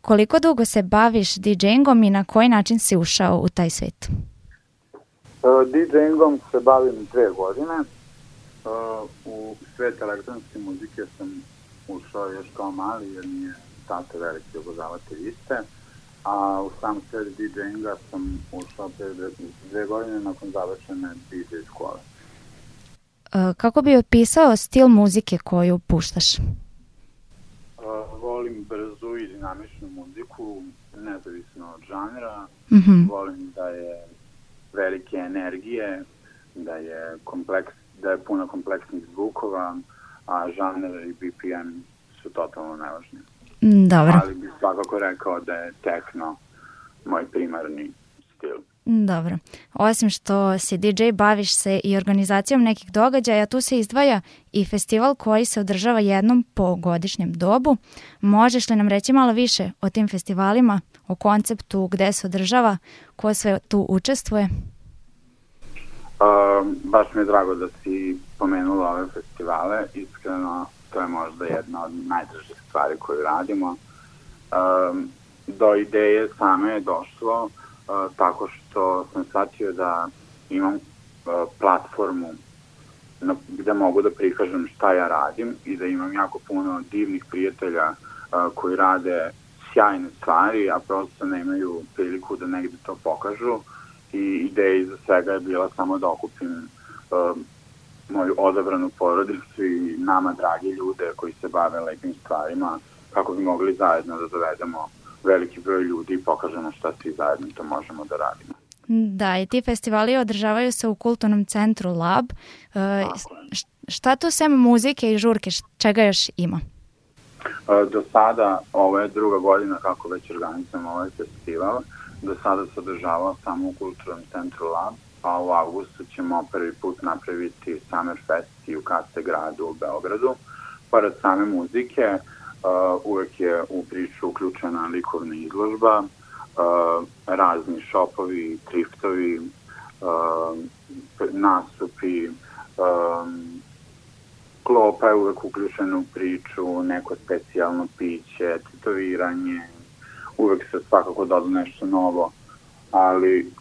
Koliko dugo se baviš DJingom i na koji način si ušao u taj svijet? DJingom se bavim 2 godine. U svijet elektronske muzike sam ušao još kao mali jer mi je tata veliki obožavatelj iste. A u sam svijet DJinga sam ušao pre 2 godine nakon završene DJ škole. Kako bi opisao stil muzike koju puštaš? Volim brzu i dinamičnu muziku, nezavisno od žanra. Volim da je velike energije, da je puno kompleksnih zvukova, a žanr i BPM su totalno nevažni. Dobro. Ali bih svakako rekao da je techno moj primarni stil. Dobro. Osim što si DJ, baviš se i organizacijom nekih događaja, tu se izdvaja i festival koji se održava jednom po godišnjem dobu. Možeš li nam reći malo više o tim festivalima, o konceptu, gde se održava, ko sve tu učestvuje? Baš mi je drago da si pomenula ove festivale. Iskreno, to je možda jedna od najdražih stvari koju radimo. Do ideje same je došlo tako što sam shvatio da imam platformu gde mogu da prikažem šta ja radim i da imam jako puno divnih prijatelja koji rade sjajne stvari, a prosto nemaju priliku da negde to pokažu. I ideja iza svega je bila samo da okupim moju odabranu porodicu i nama dragi ljude koji se bave lepim stvarima, kako bi mogli zajedno da dovedemo veliki broj ljudi i pokažemo šta svi zajedno to možemo da radimo. Da, i ti festivali održavaju se u kulturnom centru Lab. Šta tu sem muzike i žurke, čega još ima? Do sada, ovo je 2. godina kako već organizujemo ovaj festival. Do sada se održavao samo u kulturnom centru Lab, a u avgustu ćemo prvi put napraviti Summer Fest i u KC gradu u Beogradu. Pored same muzike, uvek je u priču uključena likovna izložba, razni šopovi, triftovi, nastupi, klopa je uvek uključena u priču, neko specijalno piće, tetoviranje, uvek se svakako doda nešto novo, ali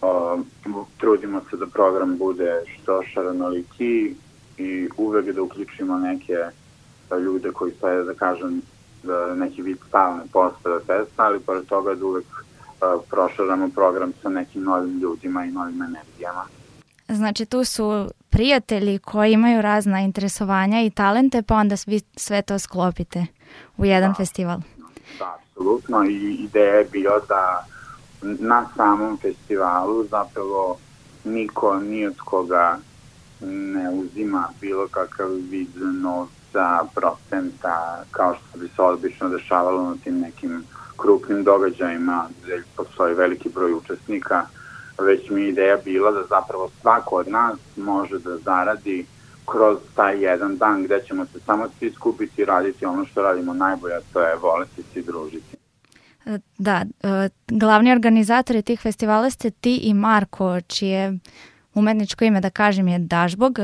trudimo se da program bude što šarenoliki i uvek da uključimo neke ljude koji sve, da kažem, neki vid stalne postave festa, ali pored toga da uvek prošaramo program sa nekim novim ljudima i novim energijama. Znači tu su prijatelji koji imaju razna interesovanja i talente, pa onda vi sve to sklopite u jedan festival. Da, apsolutno, i ideja je bila da na samom festivalu zapravo niko ni od koga ne uzima bilo kakav vid novca, procenta, kao što bi se obično dešavalo na tim nekim krupnim događajima gde postoji veliki broj učesnika, već mi je ideja bila da zapravo svako od nas može da zaradi kroz taj jedan dan gde ćemo se samo svi skupiti i raditi ono što radimo najbolje, a to je voleti se i družiti. Da, glavni organizatori tih festivala ste ti i Marko, čije umetničko ime, da kažem, je Dažbog.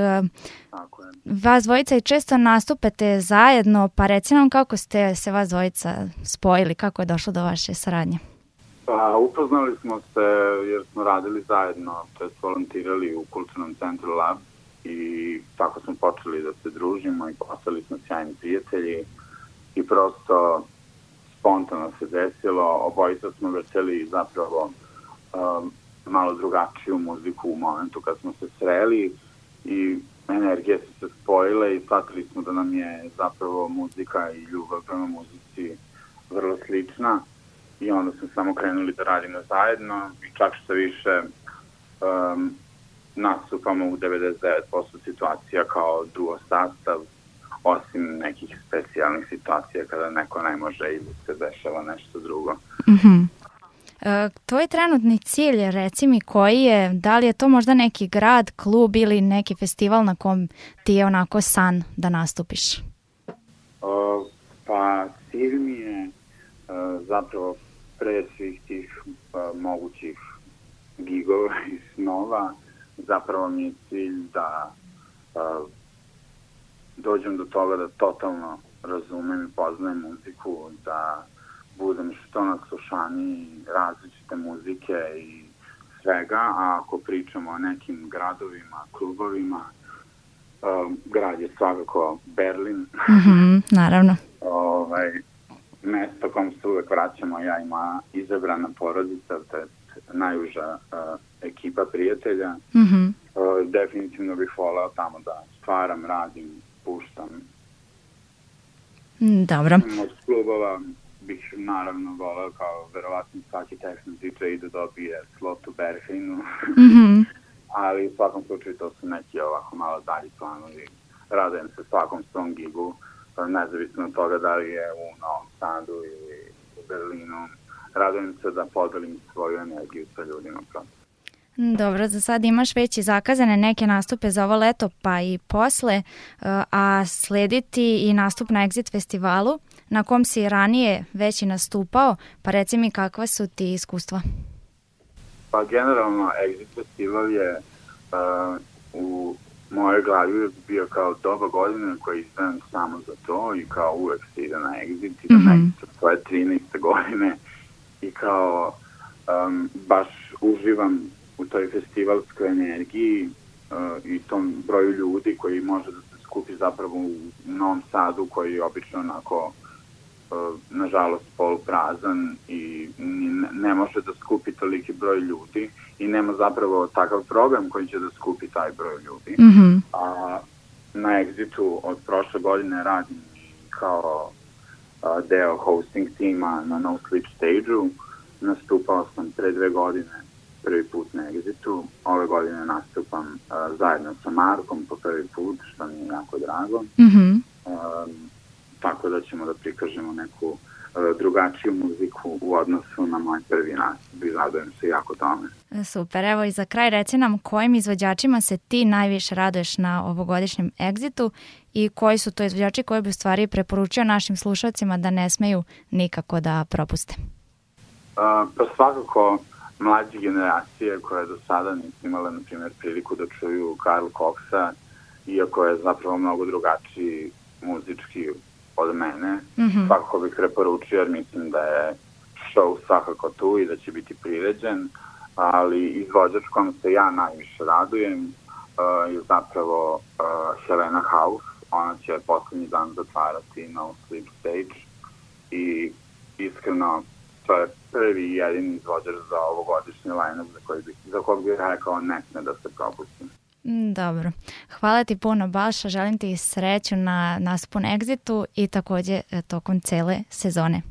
Tako je. Vas dvojica i često nastupate zajedno, pa reci nam kako ste se vas dvojica spojili, kako je došlo do vaše saradnje? Pa, upoznali smo se jer smo radili zajedno, to je volontirali u kulturnom centru Lab i tako smo počeli da se družimo i postali smo sjajni prijatelji i prosto spontano se desilo, obojica smo vrteli zapravo malo drugačiju muziku u momentu kad smo se sreli i energije su se spojile i shvatili smo da nam je zapravo muzika i ljubav prema muzici vrlo slična i onda smo samo krenuli da radimo zajedno i čak što više nastupamo u 99% situacija kao duo sastav, osim nekih specijalnih situacija kada neko ne može ili se dešava nešto drugo. Mm-hmm. Tvoj trenutni cilj, reci mi koji je, da li je to možda neki grad, klub ili neki festival na kom ti je onako san da nastupiš? Pa cilj mi je zapravo pre svih tih mogućih gigova i snova, zapravo mi je cilj da dođem do toga da totalno razumem i poznajem muziku, da budem što naslušaniji različite muzike i svega, a ako pričamo o nekim gradovima, klubovima, grad je svakako Berlin. Naravno. Mesto kom se uvek vraćamo, ja i moja izabrana porodica, to je najuža ekipa prijatelja. Definitivno bih voleo tamo da stvaram, radim, puštam. Dobro. Od klubova bih naravno voleo kao verovatno svaki techno DJ da dobije slot u Berghainu. Ali u svakom slučaju to su neki ovako malo dalji planovi. Radujem se svakom svom gigu, nezavisno od toga da li je u Novom Sadu ili u Berlinu. Radujem se da podelim svoju energiju sa ljudima prosto. Dobro, za sad imaš već i zakazane neke nastupe za ovo leto pa i posle, a slediti i nastup na Exit festivalu na kom si ranije već i nastupao, pa reci mi kakva su ti iskustva? Pa generalno Exit festival je u mojoj glavi bio kao doba godine koja izdvajam samo za to i kao uvek se ide na Exit i da nekako svoje 13. godine i kao baš uživam u toj festivalskoj energiji i tom broju ljudi koji može da se skupi zapravo u Novom Sadu koji je obično onako nažalost poluprazan i ne može da skupi toliki broj ljudi i nema zapravo takav program koji će da skupi taj broj ljudi. A na Exitu od prošle godine radim kao deo hosting tima na No Sleep Stage-u. Nastupao sam pre 2 godine prvi put na Exitu. Ove godine nastupam zajedno sa Markom po prvi put, što mi je jako drago. Tako da ćemo da prikažemo neku drugačiju muziku u odnosu na moj prvi nastup i radujem se jako tome. Super, evo i za kraj reci nam kojim izvođačima se ti najviše raduješ na ovogodišnjem Exitu i koji su to izvođači koji bi u stvari preporučio našim slušalcima da ne smeju nikako da propuste? Pa svakako mlađe generacije koje do sada nisu imale, na primjer, priliku da čuju Karl Coxa, iako je zapravo mnogo drugačiji muzički od mene. Svakako bih preporučio jer mislim da je show svakako tu i da će biti priređen, ali izvođač kom se ja najviše radujem je zapravo Helena Hauf. Ona će poslednji dan zatvarati No Sleep Stage i iskreno to je prvi i jedini izvođač za ovogodišnji line-up za kog bih rekao ne sme da se propusti. Dobro. Hvala ti puno, Balša. Želim ti sreću na nastupu na Exitu i takođe tokom cele sezone.